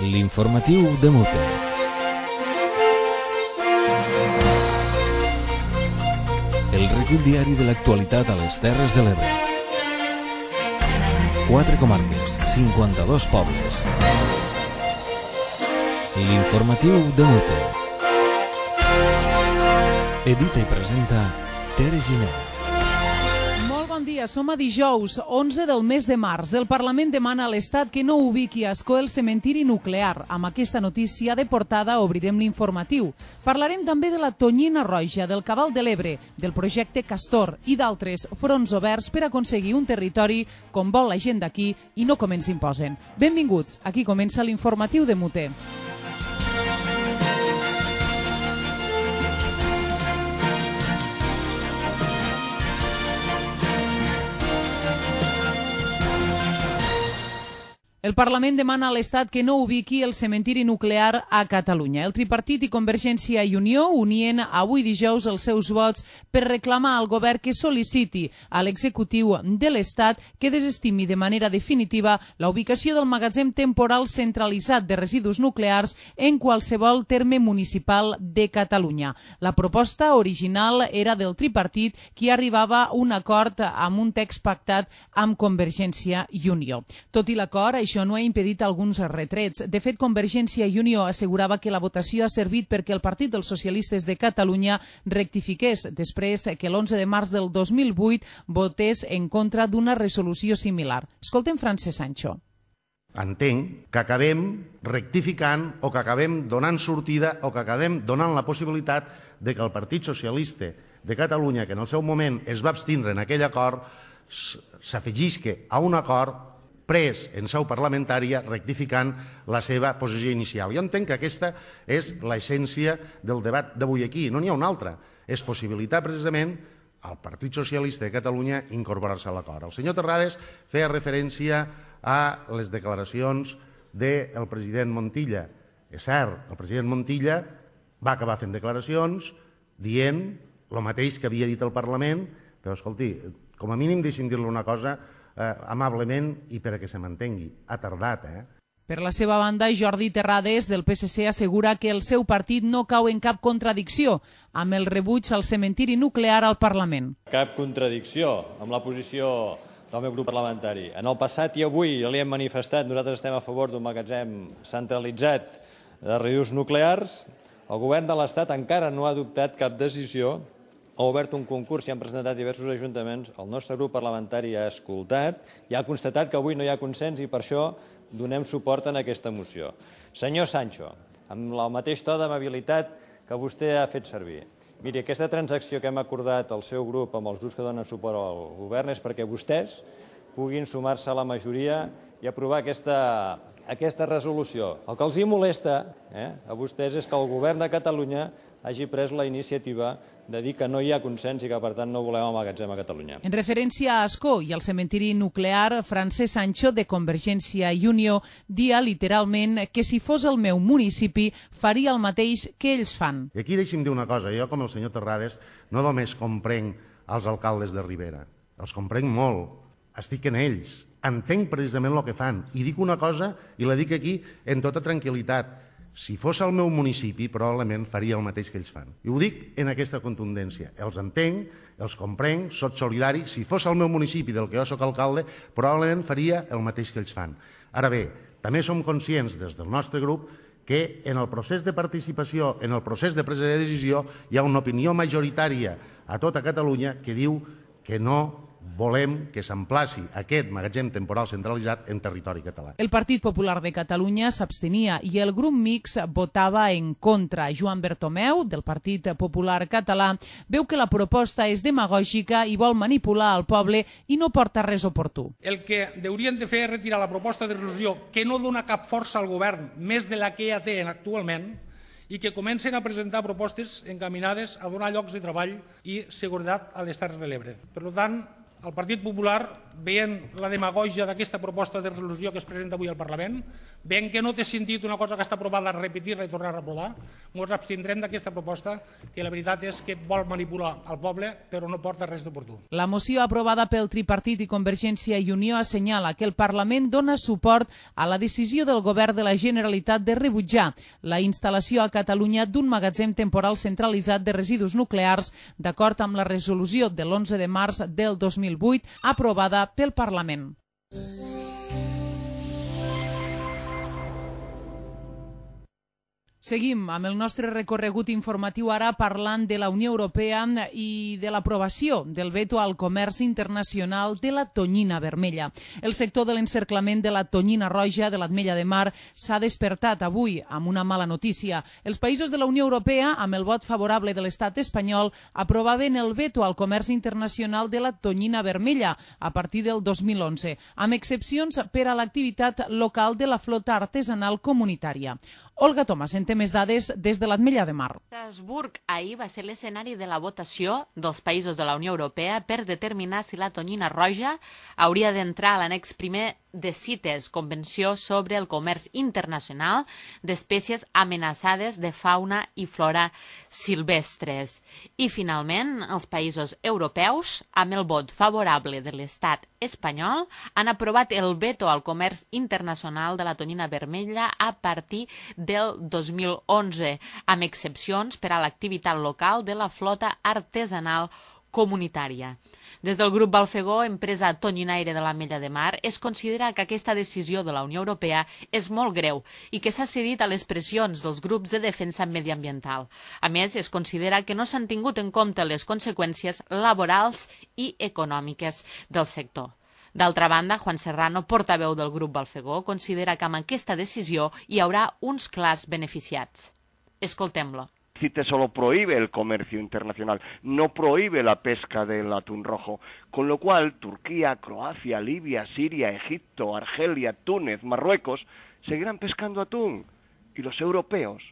L'informatiu de Mute. El recull diari de l'actualitat a les Terres de l'Ebre. 4 comarques, 52 pobles. L'informatiu de Mute. Edita i presenta Tere Giner. Bon dia, som a dijous, 11 del mes de març. El Parlament demana a l'Estat que no ubiqui a Ascó el cementiri nuclear. Amb aquesta notícia de portada obrirem l'informatiu. Parlarem també de la tonyina roja, del Cabal de l'Ebre, del projecte Castor i d'altres fronts oberts per aconseguir un territori com vol la gent d'aquí i no com ens imposen. Benvinguts, aquí comença l'informatiu de Mute. El Parlament demana a l'Estat que no ubiqui el cementiri nuclear a Catalunya. El tripartit i Convergència i Unió unien avui dijous els seus vots per reclamar al govern que sol·liciti a l'executiu de l'Estat que desestimi de manera definitiva la ubicació del magatzem temporal centralitzat de residus nuclears en qualsevol terme municipal de Catalunya. La proposta original era del tripartit, qui arribava a un acord amb un text pactat amb Convergència i Unió. Tot i l'acord, això no ha impedit alguns retrets. De fet, Convergència i Unió assegurava que la votació ha servit perquè el Partit dels Socialistes de Catalunya rectifiqués després que l'11 de març del 2008 votés en contra d'una resolució similar. Escoltem Francesc Sancho. Entenc que acabem rectificant o que acabem donant sortida o que acabem donant la possibilitat de que el Partit Socialista de Catalunya, que en el seu moment es va abstindre en aquell acord, s'afegisca a un acord pres en seu parlamentària rectificant la seva posició inicial. Jo entenc que aquesta és l'essència del debat d'avui aquí. No n'hi ha una altra. És possibilitar precisament al Partit Socialista de Catalunya incorporar-se a l'acord. El senyor Terrades feia referència a les declaracions del president Montilla. És cert, el president Montilla va acabar fent declaracions dient el mateix que havia dit el Parlament, però escolti, com a mínim deixi'm dir-li una cosa amablement i per a que se m'entengui. Ha tardat, Per la seva banda, Jordi Terrades, del PSC, assegura que el seu partit no cau en cap contradicció amb el rebuig al cementiri nuclear al Parlament. Cap contradicció amb la posició del meu grup parlamentari. En el passat i avui ja li hem manifestat, nosaltres estem a favor d'un magatzem centralitzat de residus nuclears. El govern de l'Estat encara no ha adoptat cap decisió, ha obert un concurs i han presentat diversos ajuntaments, el nostre grup parlamentari ha escoltat i ha constatat que avui no hi ha consens i per això donem suport a aquesta moció. Senyor Sancho, amb el mateix to d'amabilitat que vostè ha fet servir, miri, aquesta transacció que hem acordat el seu grup amb els grups que donen suport al govern és perquè vostès puguin sumar-se a la majoria i aprovar aquesta resolució. El que els hi molesta a vostès és que el govern de Catalunya hagi pres la iniciativa de dir que no hi ha consens i que, per tant, no volem el magatzem a Catalunya. En referència a Ascó i al cementiri nuclear, Francesc Sancho, de Convergència i Unió, dia literalment que si fos el meu municipi faria el mateix que ells fan. I aquí deixi'm dir una cosa. Jo, com el senyor Terrades, no només comprenc els alcaldes de Ribera. Els comprenc molt. Estic en ells. Entenc precisament el que fan. I dic una cosa, i la dic aquí en tota tranquil·litat. Si fos el meu municipi, probablement faria el mateix que ells fan. I ho dic en aquesta contundència. Els entenc, els comprenc, soc solidari. Si fos el meu municipi del que jo soc alcalde, probablement faria el mateix que ells fan. Ara bé, també som conscients des del nostre grup que en el procés de participació, en el procés de presa de decisió, hi ha una opinió majoritària a tota Catalunya que diu que no volem que s'emplaci aquest magatzem temporal centralitzat en territori català. El Partit Popular de Catalunya s'abstenia i el grup mixt votava en contra. Joan Bertomeu, del Partit Popular Català, veu que la proposta és demagògica i vol manipular el poble i no porta res oportú. El que haurien de fer és retirar la proposta de resolució que no dona cap força al govern, més de la que ja té actualment, i que comencen a presentar propostes encaminades a donar llocs de treball i seguretat a les Terres de l'Ebre. Per tant, el Partit Popular veient la demagògia d'aquesta proposta de resolució que es presenta avui al Parlament, veient que no té sentit una cosa que està aprovada repetir-la i tornar a aprovar, ens abstindrem d'aquesta proposta que la veritat és que vol manipular el poble però no porta res d'oportú. La moció aprovada pel tripartit i Convergència i Unió assenyala que el Parlament dona suport a la decisió del Govern de la Generalitat de rebutjar la instal·lació a Catalunya d'un magatzem temporal centralitzat de residus nuclears d'acord amb la resolució de l'11 de març del 2008 aprovada pel Parlament. Seguim amb el nostre recorregut informatiu ara parlant de la Unió Europea i de l'aprovació del veto al comerç internacional de la tonyina vermella. El sector de l'encerclament de la tonyina roja de l'Ametlla de Mar s'ha despertat avui amb una mala notícia. Els països de la Unió Europea, amb el vot favorable de l'estat espanyol, aprovaven el veto al comerç internacional de la tonyina vermella a partir del 2011, amb excepcions per a l'activitat local de la flota artesanal comunitària. Olga Tomàs en té més dades des de l'Ametlla de Mar. Estrasburg ahir va ser l'escenari de la votació dels països de la Unió Europea per determinar si la tonyina roja hauria d'entrar a l'annex primer de CITES, Convenció sobre el Comerç Internacional d'Espècies Amenaçades de Fauna i Flora Silvestres. I, finalment, els països europeus, amb el vot favorable de l'estat espanyol, han aprovat el veto al comerç internacional de la tonyina vermella a partir del 2011, amb excepcions per a l'activitat local de la flota artesanal comunitària. Des del grup Balfegó, empresa tonyinaire de l'Ametlla de Mar, es considera que aquesta decisió de la Unió Europea és molt greu i que s'ha cedit a les pressions dels grups de defensa mediambiental. A més, es considera que no s'han tingut en compte les conseqüències laborals i econòmiques del sector. D'altra banda, Juan Serrano, portaveu del grup Balfegó, considera que amb aquesta decisió hi haurà uns clars beneficiats. Escoltem-lo. CITES solo prohíbe el comercio internacional, no prohíbe la pesca del atún rojo, con lo cual Turquía, Croacia, Libia, Siria, Egipto, Argelia, Túnez, Marruecos seguirán pescando atún y los europeos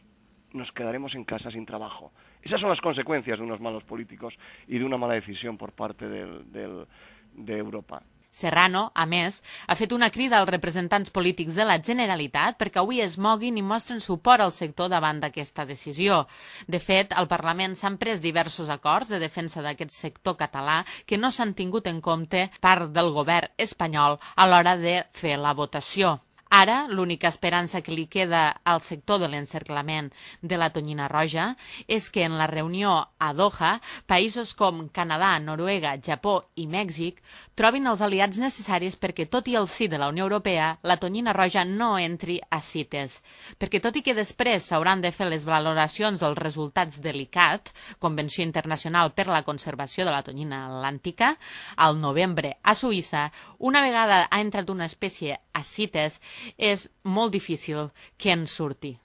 nos quedaremos en casa sin trabajo. Esas son las consecuencias de unos malos políticos y de una mala decisión por parte de Europa. Serrano, a més, ha fet una crida als representants polítics de la Generalitat perquè avui es moguin i mostren suport al sector davant d'aquesta decisió. De fet, al Parlament s'han pres diversos acords de defensa d'aquest sector català que no s'han tingut en compte part del govern espanyol a l'hora de fer la votació. Ara, l'única esperança que li queda al sector de l'encerclament de la tonyina roja és que en la reunió a Doha, països com Canadà, Noruega, Japó i Mèxic trobin els aliats necessaris perquè, tot i el sí de la Unió Europea, la tonyina roja no entri a CITES. Perquè, tot i que després s'hauran de fer les valoracions dels resultats de l'ICCAT, Convenció Internacional per la Conservació de la Tonyina Atlàntica, al novembre a Suïssa, una vegada ha entrat una espècie a CITES, és molt difícil que en surti.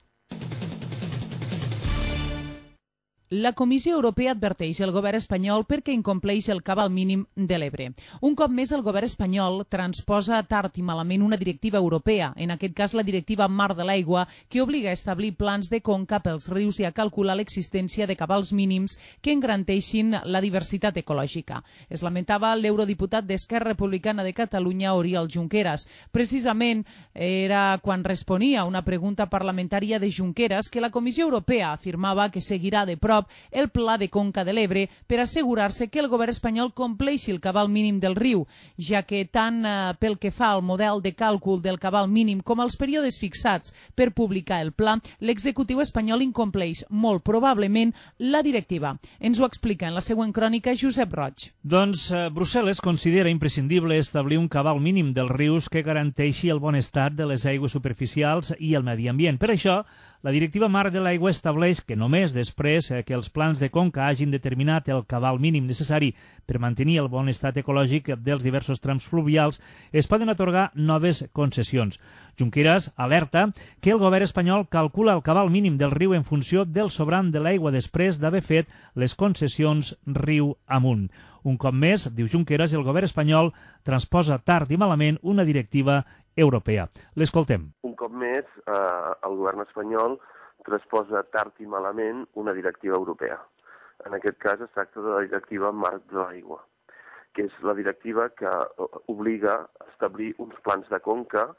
La Comissió Europea adverteix el govern espanyol perquè incompleix el cabal mínim de l'Ebre. Un cop més, el govern espanyol transposa tard i malament una directiva europea, en aquest cas la directiva Mar de l'Aigua, que obliga a establir plans de conca pels rius i a calcular l'existència de cabals mínims que en garanteixin la diversitat ecològica. Es lamentava l'eurodiputat d'Esquerra Republicana de Catalunya, Oriol Junqueras. Precisament era quan responia a una pregunta parlamentària de Junqueras que la Comissió Europea afirmava que seguirà de prop el Pla de Conca de l'Ebre per assegurar-se que el govern espanyol compleixi el cabal mínim del riu, ja que tant pel que fa al model de càlcul del cabal mínim com als períodes fixats per publicar el pla, l'executiu espanyol incompleix molt probablement la directiva. Ens ho explica en la següent crònica Josep Roig. Doncs Brussel·les considera imprescindible establir un cabal mínim dels rius que garanteixi el bon estat de les aigües superficials i el medi ambient. Per això, la directiva Mar de l'Aigua estableix que només després que els plans de conca hagin determinat el cabal mínim necessari per mantenir el bon estat ecològic dels diversos trams fluvials es poden atorgar noves concessions. Junqueras alerta que el govern espanyol calcula el cabal mínim del riu en funció del sobrant de l'aigua després d'haver fet les concessions riu amunt. Un cop més, diu Junqueras, el govern espanyol transposa tard i malament una directiva europea. L'escoltem. Un cop més, el govern espanyol transposa tard i malament una directiva europea. En aquest cas es tracta de la directiva Mar de l'Aigua. que és la directiva que obliga a establir uns plans de conca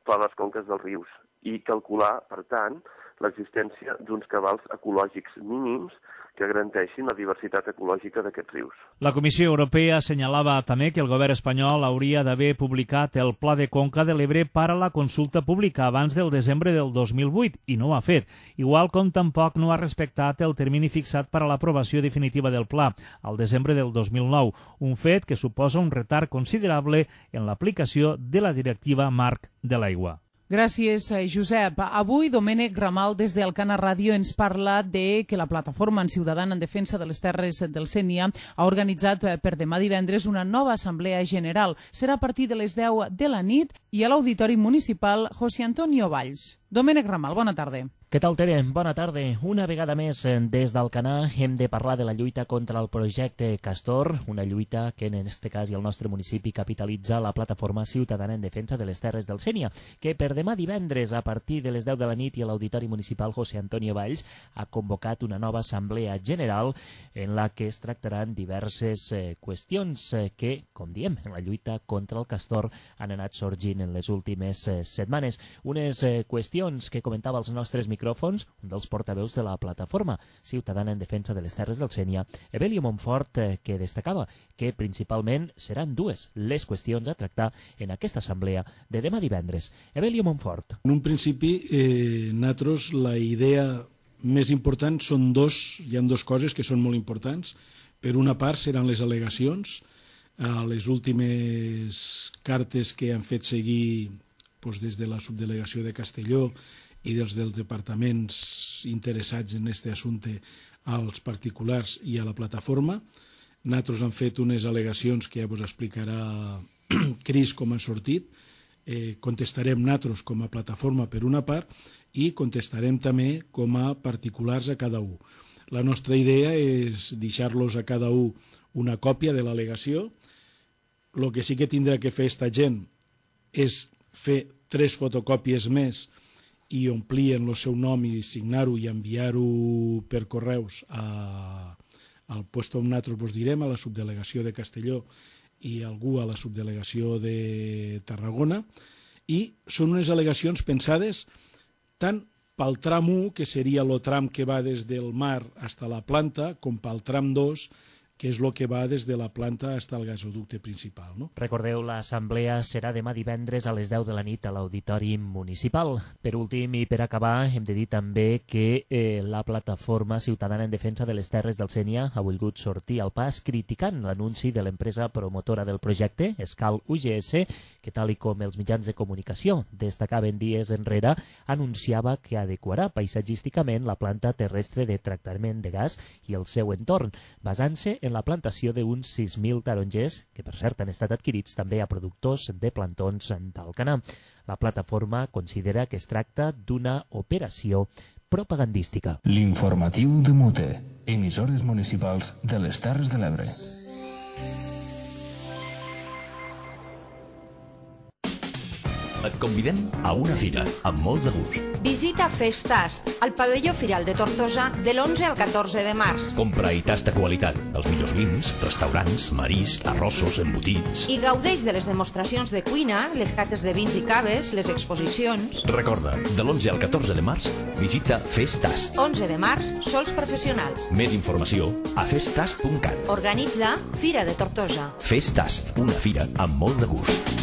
per a les conques dels rius i calcular, per tant, l'existència d'uns cabals ecològics mínims que garanteixin la diversitat ecològica d'aquests rius. La Comissió Europea assenyalava també que el govern espanyol hauria d'haver publicat el Pla de Conca de l'Ebre per a la consulta pública abans del desembre del 2008 i no ho ha fet, igual com tampoc no ha respectat el termini fixat per a l'aprovació definitiva del pla, al desembre del 2009, un fet que suposa un retard considerable en l'aplicació de la directiva marc de l'aigua. Gràcies, Josep. Avui Domènec Ramal des d'Alcana Ràdio ens parla de que la plataforma ciutadana en defensa de les terres del Sénia ha organitzat per demà divendres una nova assemblea general. Serà a partir de les 10 de la nit i a l'Auditori Municipal José Antonio Valls. Domènec Ramal, bona tarda. Què tal, Tere? Bona tarda. Una vegada més, des d'Alcanar hem de parlar de la lluita contra el projecte Castor, una lluita que en aquest cas i el nostre municipi capitalitza la plataforma ciutadana en defensa de les terres del Sénia, que per demà divendres a partir de les 10 de la nit i a l'Auditori Municipal José Antonio Valls ha convocat una nova assemblea general en la que es tractaran diverses qüestions que, com diem, en la lluita contra el Castor han anat sorgint en les últimes setmanes. Unes qüestions que comentava els nostres micròfons, un dels portaveus de la plataforma ciutadana en defensa de les terres del Sénia, Evelio Montfort, que destacava que principalment seran dues les qüestions a tractar en aquesta assemblea de demà divendres. Evelio Montfort. En un principi, nosaltres la idea més important són hi ha dues coses que són molt importants. Per una part seran les al·legacions a les últimes cartes que han fet seguir des de la subdelegació de Castelló i dels departaments interessats en aquest assumpte als particulars i a la plataforma. Nosaltres hem fet unes al·legacions que ja vos explicarà Cris com han sortit. Contestarem nosaltres com a plataforma per una part i contestarem també com a particulars a cada un. La nostra idea és deixar-los a cada un una còpia de l'al·legació. El que sí que tindrà que fer aquesta gent és fer 3 fotocòpies més i omplir en el seu nom i signar-ho i enviar-ho per correus al lloc on nosaltres vos direm, a la subdelegació de Castelló i algú a la subdelegació de Tarragona, i són unes al·legacions pensades tant pel tram 1, que seria el tram que va des del mar fins a la planta, com pel tram 2, que és el que va des de la planta fins al gasoducte principal. No? Recordeu, l'assemblea serà demà divendres a les 10 de la nit a l'Auditori Municipal. Per últim i per acabar, hem de dir també que la plataforma ciutadana en defensa de les terres del Sénia ha volgut sortir al pas criticant l'anunci de l'empresa promotora del projecte, Escal UGS, que tal com els mitjans de comunicació destacaven dies enrere, anunciava que adequarà paisatgísticament la planta terrestre de tractament de gas i el seu entorn, basant-se en la plantació d'uns 6.000 tarongers, que per cert han estat adquirits també a productors de plantons d'Alcanar. La plataforma considera que es tracta d'una operació propagandística. L'informatiu de Mute, emissores municipals de les Terres de l'Ebre. Et convidem a una fira amb molt de gust. Visita Festast, al pavelló Firal de Tortosa, de l'11 al 14 de març. Compra i tasta qualitat, els millors vins, restaurants, marisc, arrossos, embotits. I gaudeix de les demostracions de cuina, les cates de vins i caves, les exposicions. Recorda, de l'11 al 14 de març, visita Festast. 11 de març, sols professionals. Més informació a festast.cat. Organitza Fira de Tortosa. Festast, una fira amb molt de gust.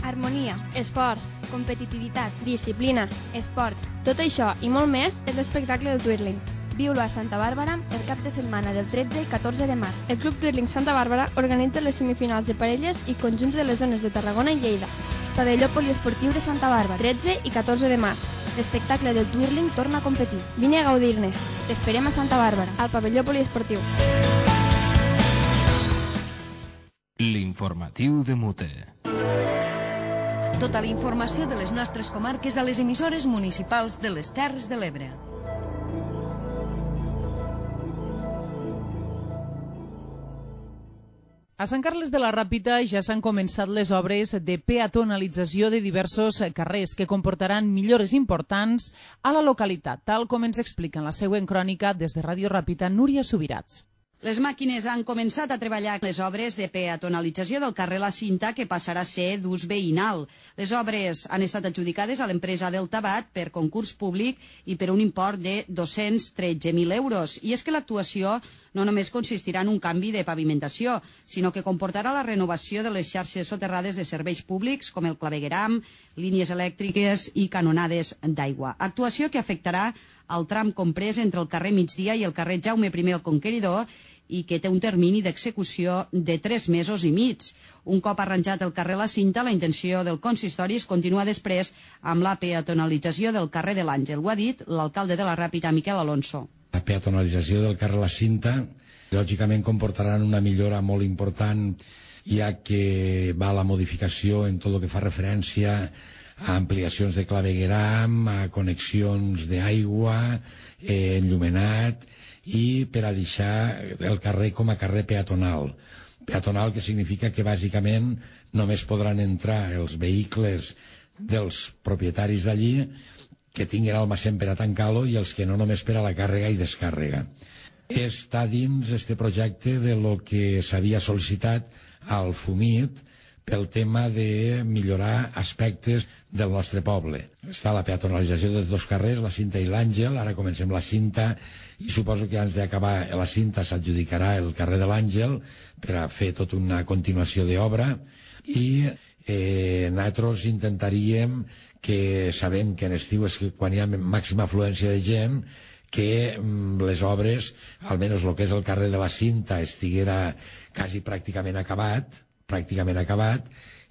Harmonia, esforç, competitivitat, disciplina, esport. Tot això i molt més és l'espectacle del Twirling. Viu-lo a Santa Bàrbara el cap de setmana del 13 i 14 de març. El Club Twirling Santa Bàrbara organitza les semifinals de parelles i conjunts de les zones de Tarragona i Lleida. Pavelló poliesportiu de Santa Bàrbara, 13 i 14 de març. L'espectacle del Twirling torna a competir. Vine a gaudir-ne. T'esperem a Santa Bàrbara, al pavelló poliesportiu. L'informatiu de Mute. Tota la informació de les nostres comarques a les emissores municipals de les Terres de l'Ebre. A Sant Carles de la Ràpita ja s'han començat les obres de peatonalització de diversos carrers que comportaran millores importants a la localitat, tal com ens explica en la següent crònica des de Ràdio Ràpita Núria Subirats. Les màquines han començat a treballar les obres de peatonalització del carrer La Cinta, que passarà a ser d'ús veïnal. Les obres han estat adjudicades a l'empresa Deltabat per concurs públic i per un import de 213.000 euros. I és que l'actuació no només consistirà en un canvi de pavimentació, sinó que comportarà la renovació de les xarxes soterrades de serveis públics, com el clavegueram, línies elèctriques i canonades d'aigua. Actuació que afectarà el tram comprès entre el carrer Migdia i el carrer Jaume I el Conqueridor i que té un termini d'execució de 3 mesos i mig. Un cop arranjat el carrer La Cinta, la intenció del consistori és continuar després amb la peatonalització del carrer de l'Àngel. Ho ha dit l'alcalde de la Ràpita, Miquel Alonso. La peatonalització del carrer La Cinta lògicament comportarà una millora molt important, ja que va a la modificació en tot el que fa referència a ampliacions de clavegueram, a connexions d'aigua, enllumenat, i per a deixar el carrer com a carrer peatonal. Peatonal que significa que bàsicament només podran entrar els vehicles dels propietaris d'allí que tinguin almacén per a tancar-lo i els que no només per a la càrrega i descàrrega. Està dins este projecte de lo que s'havia sol·licitat al FUMIT pel tema de millorar aspectes del nostre poble. Està la peatonalització dels 2 carrers, la Cinta i l'Àngel, ara comencem la Cinta i suposo que abans d'acabar la Cinta s'adjudicarà el carrer de l'Àngel per a fer tota una continuació d'obra i nosaltres intentaríem, que sabem que en estiu és quan hi ha màxima afluència de gent, que les obres, almenys el que és el carrer de la Cinta, estiguera quasi pràcticament acabat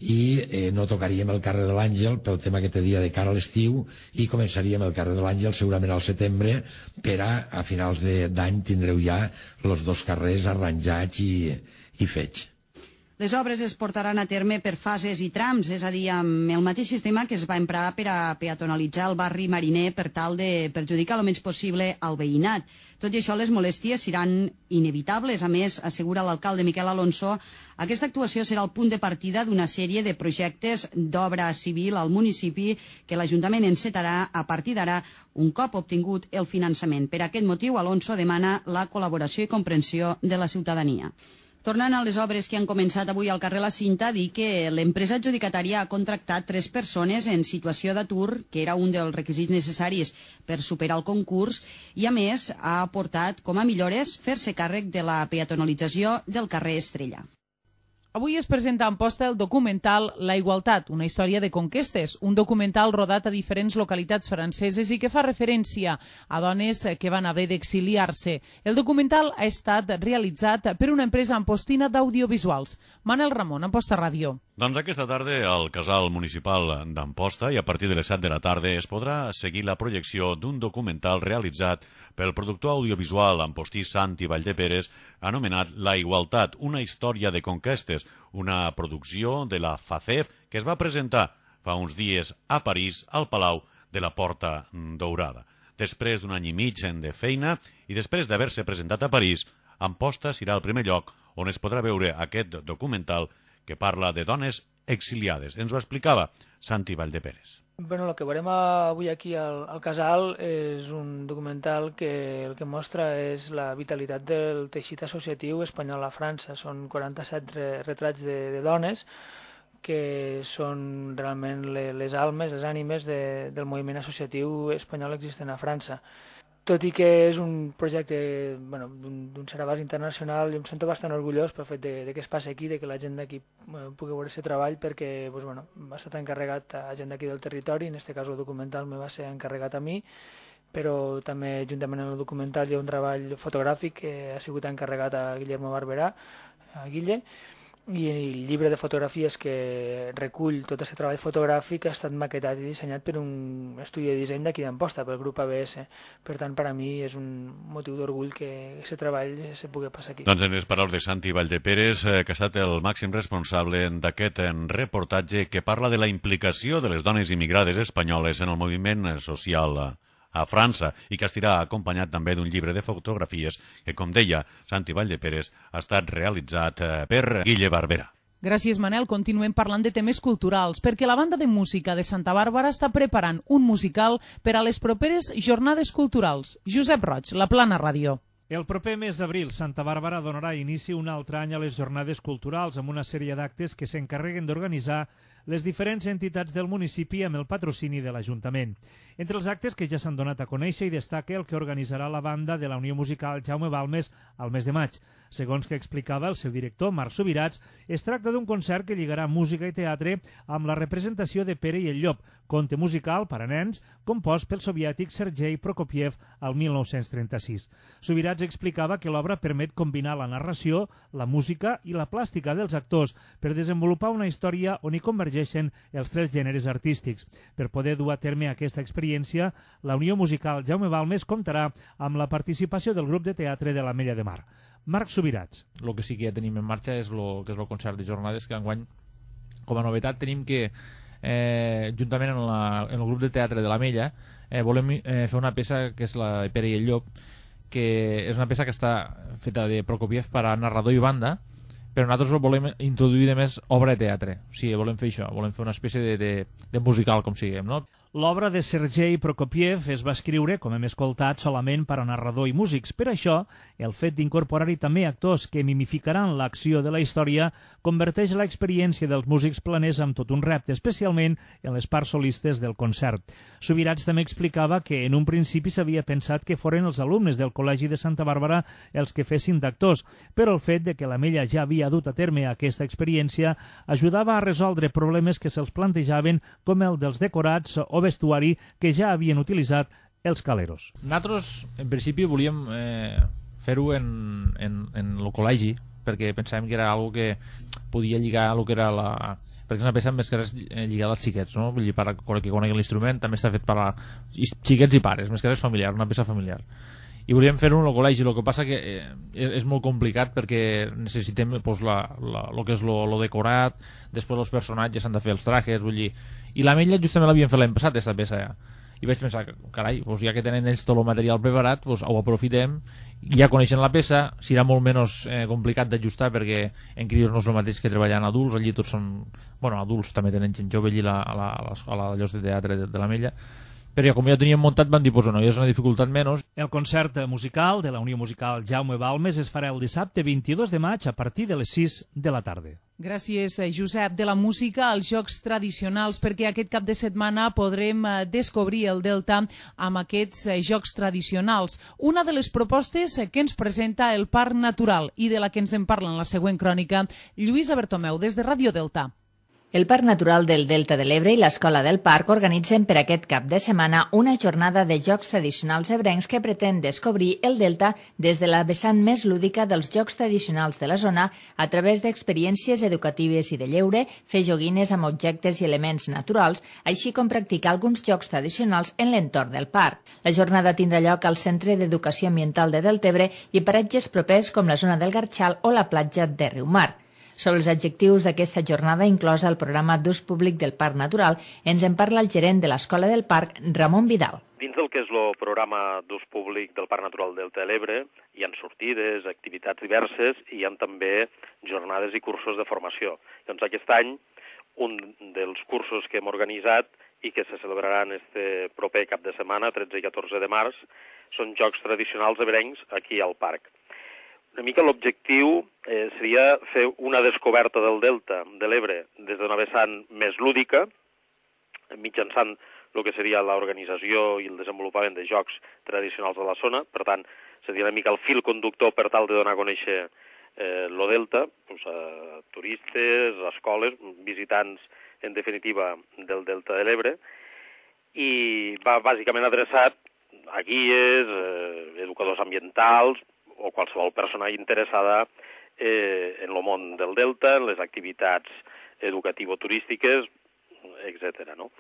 i no tocaríem el carrer de l'Àngel pel tema que té dia de cara a l'estiu i començaríem el carrer de l'Àngel segurament al setembre per a finals d'any tindreu ja els 2 carrers arranjats i fets. Les obres es portaran a terme per fases i trams, és a dir, amb el mateix sistema que es va emprar per a peatonalitzar el barri Mariner per tal de perjudicar el menys possible al veïnat. Tot i això, les molèsties seran inevitables. A més, assegura l'alcalde Miquel Alonso, aquesta actuació serà el punt de partida d'una sèrie de projectes d'obra civil al municipi que l'Ajuntament encetarà a partir d'ara un cop obtingut el finançament. Per aquest motiu, Alonso demana la col·laboració i comprensió de la ciutadania. Tornant a les obres que han començat avui al carrer La Cinta, dir que l'empresa adjudicatària ha contractat 3 persones en situació d'atur, que era un dels requisits necessaris per superar el concurs, i a més ha aportat com a millores fer-se càrrec de la peatonalització del carrer Estrella. Avui es presenta a Amposta el documental La Igualtat, una història de conquestes, un documental rodat a diferents localitats franceses i que fa referència a dones que van haver d'exiliar-se. El documental ha estat realitzat per una empresa ampostina d'audiovisuals. Manel Ramon, Amposta Ràdio. Doncs aquesta tarda al Casal Municipal d'Amposta i a partir de les 7 de la tarda es podrà seguir la projecció d'un documental realitzat pel productor audiovisual ampostí Santi Valldeperes anomenat La Igualtat, una història de conquestes, una producció de la FACEF que es va presentar fa uns dies a París al Palau de la Porta Daurada. Després d'un any i mig de feina i després d'haver-se presentat a París, Amposta serà el primer lloc on es podrà veure aquest documental que parla de dones exiliades. Ens ho explicava Santi Valldeperes. Bueno, el que veurem avui aquí al Casal és un documental que el que mostra és la vitalitat del teixit associatiu espanyol a França. Són 47 retrats de dones que són realment les almes, les ànimes del moviment associatiu espanyol existent a França. Tot i que és un projecte d'un cert abast internacional, jo em sento bastant orgullós pel fet de que es passi aquí, de que la gent d'aquí pugui veure aquest treball, perquè va estar encarregat a gent d'aquí del territori, en aquest cas el documental me va ser encarregat a mi, però també juntament amb el documental hi ha un treball fotogràfic que ha sigut encarregat a Guillermo Barberà, a Guille, i el llibre de fotografies que recull tot aquest treball fotogràfic ha estat maquetat i dissenyat per un estudi de disseny d'aquí d'Amposta, pel grup ABS. Per tant, per a mi és un motiu d'orgull que aquest treball se pugui passar aquí. Doncs en les paraules de Santi Valldeperes, que ha estat el màxim responsable d'aquest reportatge que parla de la implicació de les dones immigrades espanyoles en el moviment social a França i que estarà acompanyat també d'un llibre de fotografies que, com deia Santi Valldeperes, ha estat realitzat per Guille Barberà. Gràcies, Manel. Continuem parlant de temes culturals, perquè la banda de música de Santa Bàrbara està preparant un musical per a les properes jornades culturals. Josep Roig, La Plana Ràdio. El proper mes d'abril, Santa Bàrbara donarà inici un altre any a les jornades culturals amb una sèrie d'actes que s'encarreguen d'organitzar les diferents entitats del municipi amb el patrocini de l'Ajuntament. Entre els actes que ja s'han donat a conèixer hi destaca el que organitzarà la banda de la Unió Musical Jaume Balmes al mes de maig. Segons que explicava el seu director, Marc Subirats, es tracta d'un concert que lligarà música i teatre amb la representació de Pere i el Llop, conte musical per a nens compost pel soviètic Sergei Prokofiev al 1936. Subirats explicava que l'obra permet combinar la narració, la música i la plàstica dels actors per desenvolupar una història on hi convergeixen els tres gèneres artístics. Per poder dur a terme aquesta experiència, la Unió Musical Jaume Balmes comptarà amb la participació del grup de teatre de l'Ametlla de Mar. Marc Subirats. El que sí que ja tenim en marxa és el concert de jornades, que enguany, com a novetat, tenim que, juntament en el grup de teatre de l'Ametlla, volem fer una peça que és la Pere i el Llop, que és una peça que està feta de Prokofiev per a narrador i banda, però nosaltres volem introduir de més obra de teatre. O sigui, volem fer això, volem fer una espècie de musical, com siguem, no? L'obra de Sergei Prokofiev es va escriure, com hem escoltat, solament per a narrador i músics. Per això, el fet d'incorporar-hi també actors que mimificaran l'acció de la història converteix l'experiència dels músics planers en tot un repte, especialment en les parts solistes del concert. Subirats també explicava que en un principi s'havia pensat que foren els alumnes del Col·legi de Santa Bàrbara els que fessin d'actors, però el fet de que l'Ametlla ja havia dut a terme aquesta experiència ajudava a resoldre problemes que se'ls plantejaven, com el dels decorats o vestuari que ja havien utilitzat els caleros. Nosaltres, en principi, volíem fer-ho en el col·legi, perquè pensàvem que era algo que podia lligar a lo que era perquè és una peça més que res lligada als xiquets, no? Vull dir, per que conegui l'instrument, també està fet per a xiquets i pares, més que res familiar, una peça familiar. I volíem fer-ho en el col·legi, el que passa que és molt complicat perquè necessitem el que és lo decorat, després els personatges s'han de fer els trajes, vull dir. I l'Ametlla justament l'havien fet l'any passat, aquesta peça ja. I vaig pensar, carai, ja que tenen ells tot el material preparat, ho aprofitem, ja coneixen la peça, serà molt menys complicat d'ajustar perquè en crios no és el mateix que treballar en adults, allí tots són, bueno, adults també tenen gent jove allí a l'escola de llocs de teatre de l'Ametlla, però ja com ja ho teníem muntat van dir, pues no, ja és una dificultat menys. El concert musical de la Unió Musical Jaume Balmes es farà el dissabte 22 de maig a partir de les 6 de la tarda. Gràcies, Josep. De la música als jocs tradicionals, perquè aquest cap de setmana podrem descobrir el Delta amb aquests jocs tradicionals. Una de les propostes que ens presenta el Parc Natural i de la que ens en parla en la següent crònica, Lluïsa Bertomeu, des de Ràdio Delta. El Parc Natural del Delta de l'Ebre i l'Escola del Parc organitzen per aquest cap de setmana una jornada de jocs tradicionals ebrencs que pretén descobrir el Delta des de la vessant més lúdica dels jocs tradicionals de la zona a través d'experiències educatives i de lleure, fer joguines amb objectes i elements naturals, així com practicar alguns jocs tradicionals en l'entorn del parc. La jornada tindrà lloc al Centre d'Educació Ambiental de Deltebre i paratges propers com la zona del Garxal o la platja de Riumar. Sobre els adjectius d'aquesta jornada inclosa el programa d'ús públic del Parc Natural, ens en parla el gerent de l'Escola del Parc, Ramon Vidal. Dins del que és el programa d'ús públic del Parc Natural del Delta de l'Ebre hi ha sortides, activitats diverses i hi ha també jornades i cursos de formació. Doncs aquest any un dels cursos que hem organitzat i que se celebraran este proper cap de setmana, 13 i 14 de març, són jocs tradicionals ebrencs aquí al parc. Una mica l'objectiu seria fer una descoberta del Delta de l'Ebre des d'una vessant més lúdica, mitjançant el que seria l'organització i el desenvolupament de jocs tradicionals de la zona. Per tant, seria una mica el fil conductor per tal de donar a conèixer el Delta a turistes, a escoles, visitants, en definitiva, del Delta de l'Ebre, i va bàsicament adreçat a guies, educadors ambientals, o qualsevol persona interessada en el món del Delta, en les activitats educativo-turístiques, etc. No?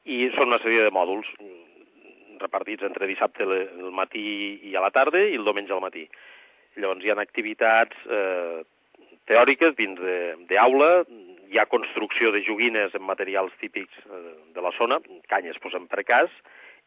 I són una sèrie de mòduls repartits entre dissabte al matí i a la tarda i el diumenge al matí. Llavors hi ha activitats teòriques dins d'aula, hi ha construcció de joguines en materials típics de la zona, canyes posem per cas,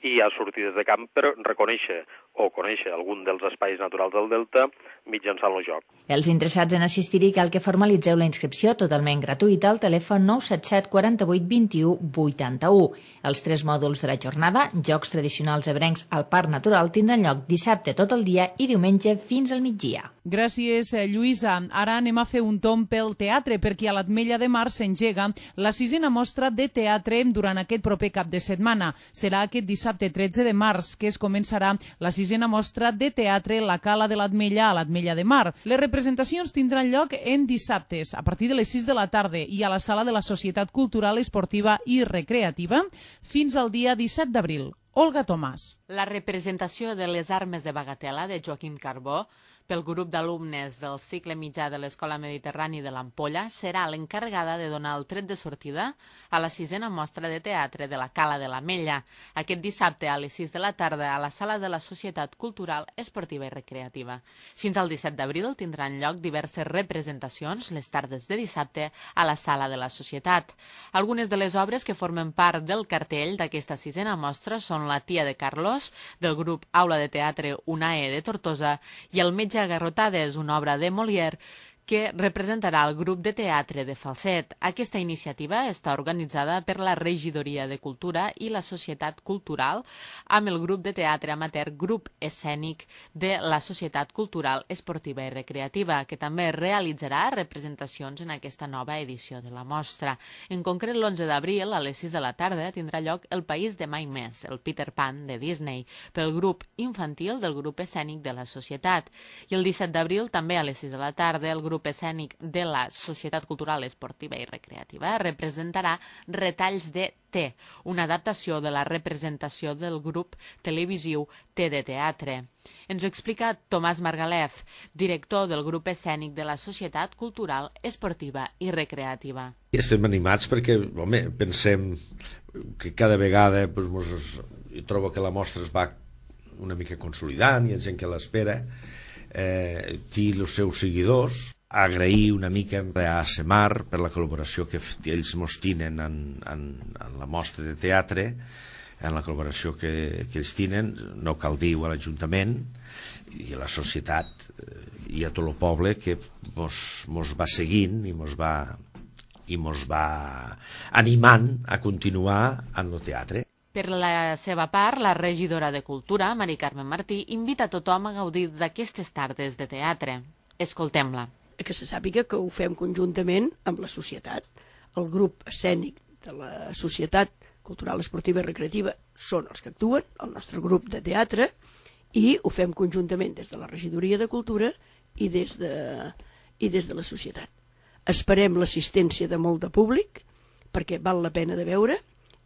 i hi ha sortides de camp per reconèixer o conèixer algun dels espais naturals del Delta mitjançant el joc. Els interessats en assistir-hi cal que formalitzeu la inscripció totalment gratuïta al telèfon 977 48 21 81. Els 3 mòduls de la jornada, jocs tradicionals ebrencs al Parc Natural, tindran lloc dissabte tot el dia i diumenge fins al migdia. Gràcies, Lluïsa. Ara anem a fer un tomb pel teatre, perquè a l'Ametlla de Mar s'engega la 6a mostra de teatre durant aquest proper cap de setmana. Serà aquest dissabte 13 de març que es començarà la 6a mostra de teatre La Cala de l'Ametlla a l'Ametlla de Mar. Les representacions tindran lloc en dissabtes, a partir de les 6 de la tarda i a la sala de la Societat Cultural, Esportiva i Recreativa fins al dia 17 d'abril. Olga Tomàs. La representació de Les armes de Bagatela, de Joaquim Carbó, pel grup d'alumnes del cicle mitjà de l'Escola Mediterrani de l'Ampolla, serà l'encarregada de donar el tret de sortida a la 6a mostra de teatre de la Cala de l'Ametlla, aquest dissabte a les 6 de la tarda a la sala de la Societat Cultural, Esportiva i Recreativa. Fins al 17 d'abril tindran lloc diverses representacions les tardes de dissabte a la sala de la Societat. Algunes de les obres que formen part del cartell d'aquesta 6a mostra són La tia de Carlos, del grup Aula de Teatre UNAE de Tortosa, i El metge a garrotades, una obra de Molière, que representarà el grup de teatre de Falset. Aquesta iniciativa està organitzada per la Regidoria de Cultura i la Societat Cultural amb el grup de teatre amateur Grup Escènic de la Societat Cultural Esportiva i Recreativa, que també realitzarà representacions en aquesta nova edició de la mostra. En concret, l'11 d'abril, a les 6 de la tarda, tindrà lloc El País de Mai Més, el Peter Pan de Disney, pel grup infantil del Grup Escènic de la Societat. I el 17 d'abril, també a les 6 de la tarda, el grup escènic de la Societat Cultural Esportiva i Recreativa representarà Retalls de T, una adaptació de la representació del grup televisiu T de Teatre. Ens ho explica Tomàs Margalef, director del grup escènic de la Societat Cultural Esportiva i Recreativa. Estem animats perquè, home, pensem que cada vegada jo trobo que la mostra es va una mica consolidant, hi ha gent que l'espera, té els seus seguidors. Agrair una mica a ASEMAR per la col·laboració que ells mos tenen en la mostra de teatre, en la col·laboració que ells tenen, no cal dir a l'Ajuntament i a la societat i a tot el poble que mos va seguint i mos va animant a continuar en el teatre. Per la seva part, la regidora de Cultura, Mari Carmen Martí, invita a tothom a gaudir d'aquestes tardes de teatre. Escoltem-la. Que se sàpiga que ho fem conjuntament amb la societat. El grup escènic de la Societat Cultural Esportiva i Recreativa són els que actuen, el nostre grup de teatre, i ho fem conjuntament des de la Regidoria de Cultura i des de la societat. Esperem l'assistència de molt de públic, perquè val la pena de veure,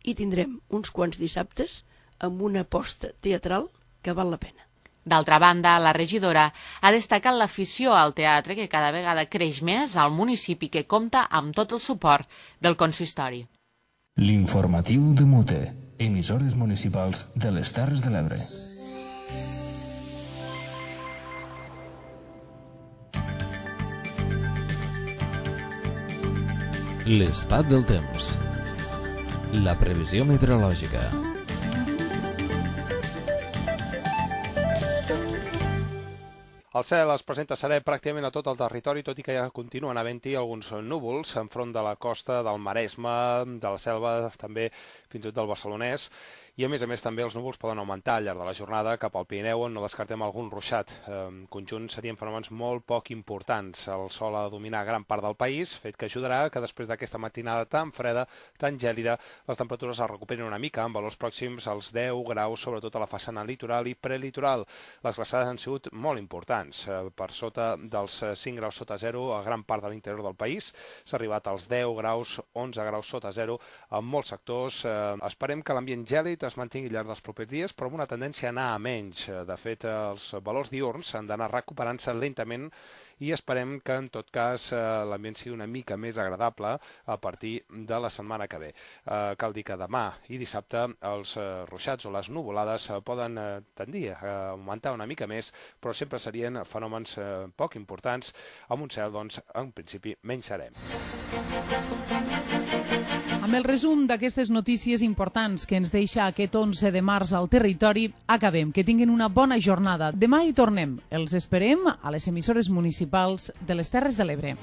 i tindrem uns quants dissabtes amb una aposta teatral que val la pena. D'altra banda, la regidora ha destacat l'afició al teatre que cada vegada creix més al municipi, que compta amb tot el suport del consistori. L'informatiu de Mute, emissores municipals de les Terres de l'Ebre. L'estat del temps. La previsió meteorològica. El cel es presenta serè pràcticament a tot el territori, tot i que ja continuen havent-hi alguns núvols enfront de la costa del Maresme, de la Selva, també fins i tot del Barcelonès. I a més també els núvols poden augmentar al llarg de la jornada cap al Pirineu, on no descartem algun ruixat. En conjunt serien fenòmens molt poc importants. El sol ha de dominar gran part del país, fet que ajudarà que després d'aquesta matinada tan freda, tan gèlida, les temperatures es recuperin una mica, amb valors pròxims als 10 graus, sobretot a la façana litoral i prelitoral. Les glaçades han sigut molt importants. Per sota dels 5 graus sota zero a gran part de l'interior del país. S'ha arribat als 10 graus, 11 graus sota zero en molts sectors. Esperem que l'ambient gèlid es mantingui al llarg dels propers dies, però amb una tendència a anar a menys. De fet, els valors diürns han d'anar recuperant-se lentament i esperem que, en tot cas, l'ambient sigui una mica més agradable a partir de la setmana que ve. Cal dir que demà i dissabte els ruixats o les nuvolades poden tendir a augmentar una mica més, però sempre serien fenòmens poc importants, amb un cel, doncs, en principi, menys serè. Amb el resum d'aquestes notícies importants que ens deixa aquest 11 de març al territori, acabem. Que tinguin una bona jornada. Demà hi tornem. Els esperem a les emissores municipals de les Terres de l'Ebre.